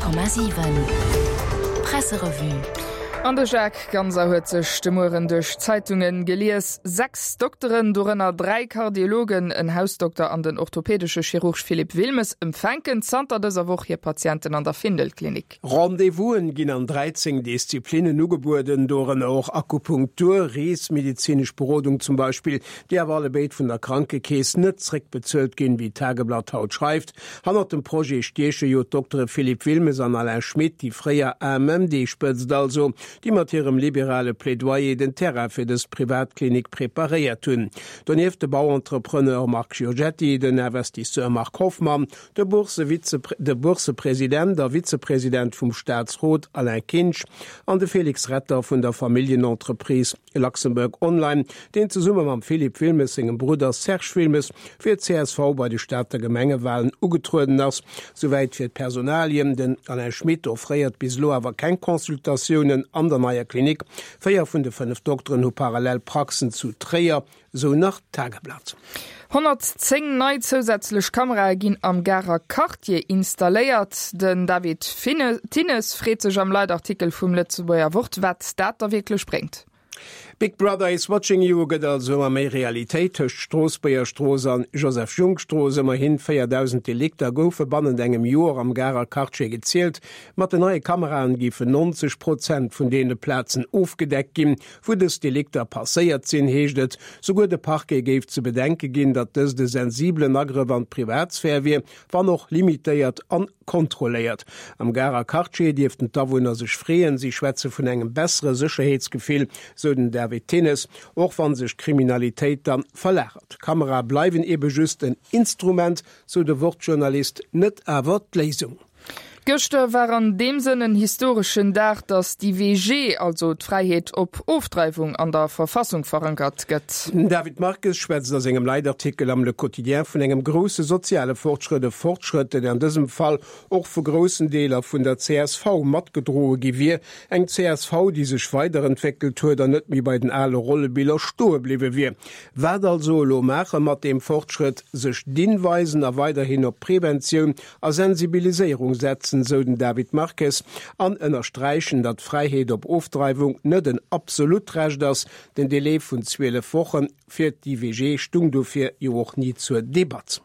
100,7 Presserevue. An de Jacques Ganser huet sech de Mueren duerch d'Zeitunge gelies. 6 Dokteren, dorënner 3 Kardiologen, en Hausdokter an den orthopädesche Chirurg Philippe Wilmes, empfänken zanter dëser Woch hir Patienten an der Findel-Klinik. Rendez-vousen ginn an 13 Disziplinnen ugebueden, dorënner och Akupunktur, Reesmedezinesch Berodung zum Beispill, déi awer allebéid vun der Krankekeess net zréckbezuelt ginn, wéi d'Tageblatt haut schreift. Hannert dem Projet stieche jo d'Doktere Philippe Wilmes an Alain Schmit, déi fréier AMMD-Spëtzt also, déi mat hirem liberale Plädoyer den Terrain fir dës Privatklinik preparéiert hunn. Donieft de Bauentrepreneur Marc Giorgetti, den Investisseur Marc Hoffmann, de de Boursepresident a Vizepresident vum Staatsrot Alain Kinsch an de Félix Retter vun der Familljenentreprise Luxembourg Online, deen zesumme mam Philippe Wilmes sengem Brudder Serge Wilmes fir d'CSV bei de Stater Gemengewalen ugetrueden ass. Souwäit fir d'Personalien. Den Alain Schmit offréiert bis elo awer keng Consultatiounen an der neier Klinik. 4 vun de 5 Dokteren hu parallel Praxen zu Tréier, sou nach d'Tageblatt. 110 nei zousätzlech Kamerae ginn am Garer Quartier installéiert. Den David Thinnes freet sech am Leitartikel vum Lëtzebuerger Wort, wat dat da wierklech bréngt. Big Brother is watching you gëtt also ëmmer méi Realitéit. Tëscht Stroossbuerger Strooss an Joseph Junck Strooss, ëmmerhin 4.000 Delikter goufe bannent engem Joer am Garer Quartier gezielt. Mat den neie Kameraen géifen 90 Prozent vun deene Plazen ofgedeckt ginn, Wou dës Delikter passéiert sinn, heescht et, souguer de Parquet géif ze bedenke ginn, datt dëst e sensibelen Agrëff an d'Privatsphär wier, wann och limitéiert an kontrolléiert. Am Garer Quartier dierften d'Awunner sech freeën. Si schwätze vun engem bessere Sécherheetsgefill, sou den David Thinnes, och wann sech d'Kriminalitéit dann verlagert. Kamerae bleiwen ebe just en Instrument, sou de Wort-Journalist, net awer d'Léisung. Gëschter war an deem Sënn en historeschen Dag, datt d'IVG, also d'Fräiheet op Ofdreiwung, an der Verfassung verankert gëtt. Den David Marques schwätzt a sengem Leitartikel am Le Quotidien vun engem grousse soziale Fortschrëtt, e Fortschrëtt, deen an dësem Fall och vu groussen Deeler vun der csv matgedroe gi wier. Eng csv, déi sech weiderentwéckelt huet an net méi bei den ale Rollebiller stoe bliwwe wier. Wat also elo maache mat deem Fortschrëtt? Sech dinn weisen a weiderhin op Preventioun a Sensibiliséierung setzen, sou den David Marques, an ënnersträichen, datt d'Fräiheet op Ofdreiwung net en absolut Recht ass. Den Delai vun 12 Woche fir d'IVG stung dofir jo och ni zur Debatt.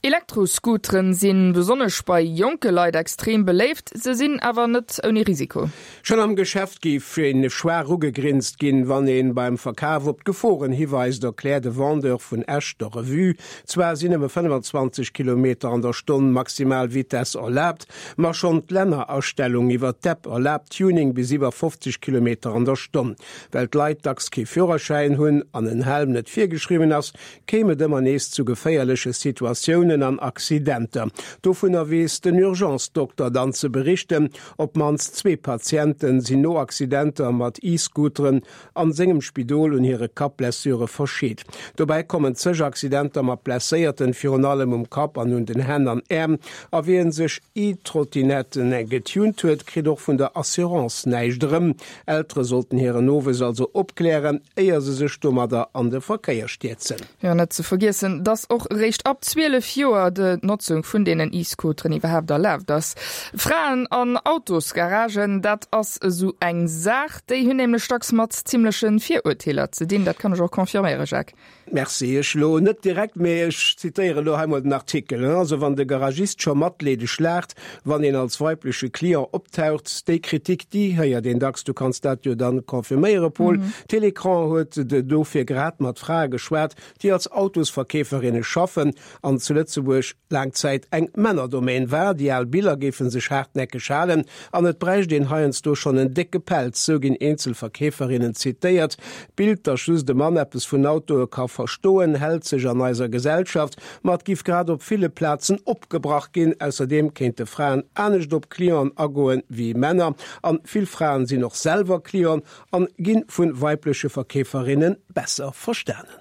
Elektroscooteren si besonnesch bei jonke Leit extrem beléift, se sinn awer net ouni Risiko. Schonn am Geschäft géif een schwaach ugegrinst ginn, wann een beim Verkaf op d'Geforen hiweist, erkläert e Vendeur vun Esch der Revue. Zwar sinn nëmme 25 Kilometer an der Stonn maximal Vitess erlaabt, ma schonn d'Lännerastellung iwwer d'App erlaabt Tuning bis iwwer 50 Kilometer an der Stonn. Well d'Leit dacks kee Führerschäin hunn an en Helm net virgeschriwwen ass, kéim et ëmmer nees zu geféierleche Situatiounen an Accidenter. Dovunner weess den Urgence-Dokter dann ze berichten. Op d'mannst zwee Patiente sinn no Accidenter mat E-Scooteren an sengem Spidol un hire Kappblessure verscheet. Dobäi kommen zeg Accidenter mat Blesséierten, virun allem um Kapp an un den Hänn an Äerm. A wien sech E-Trottinetten getunt huet, kritt och vun der Assurance näischt erëm. Eltere sollten hiren Nowuess also opklären, éier se sech domadder an de Verkéier stierzen. Jo, net ze vergiessen, dass och eréischt ab 12 Joer d'Notzung vun deenen E-Scooteren iwwerhaapt erlaabt ass. Fraen an Autosgaragen, dat ass esou eng Saach. Déi hunn nämlech dacks mat zimmleche Virurteeler ze dinn. Dat kann ech och confirméieren, Jacques. Merci. Ech elo net direkt, mee ech zitéieren elo hei mol den Artikel. Also wann de Garagist scho matleedeg laacht, wann een als weibleche Client optaucht, déi Kritik, déi héiert een dacks. Du kanns dat jo dann confirméieren, Paul. Télécran huet dofir grad mat Frae geschwat, déi als Autosverkeeferinne schaffen an zu Lëtzebuerg laang Zäit eng Männerdomaine war. Déi al Biller géife sech haartnäckeg halen an et bräicht een heiansdo schonn en décke Pelz, sou ginn eenzel Verkeeferinnen zitéiert. D'Bild, datt just e Mann eppes vun Autoe ka verstoen, hält sech an eiser Gesellschaft, ma et giff grad op ville Plazen opgebrach ginn. Ausserdeem kéinte Fraen anescht op Clienten agoen wéi Männer an vill Fraen sinn och selwer Clienten an gi vu weibleche Verkeeferinne besser verstanen.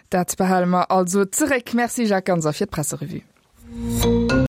Dat behale mer also zeréck. Merci Jacques Ganser fir d'Presserevue.